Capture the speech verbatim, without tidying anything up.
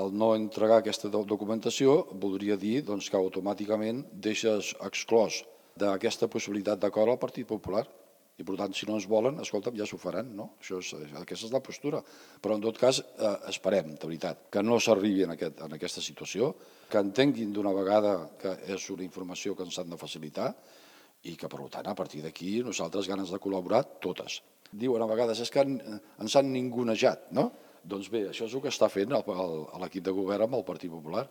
el no entregar aquesta documentació voldria dir doncs, que automàticament deixes exclòs d'aquesta possibilitat d'acord al Partit Popular. I, per tant, si no ens volen, escolta'm, ja s'ho faran, no? Això és, aquesta és la postura. Però, en tot cas, eh, esperem, de veritat, que no s'arribi en, aquest, en aquesta situació, que entenguin d'una vegada que és una informació que ens han de facilitar i que, per tant, a partir d'aquí, nosaltres ganes de col·laborar, totes. Diuen a vegades, és que ens han ningunejat, no? Doncs bé, això és el que està fent l'equip de govern amb el Partit Popular.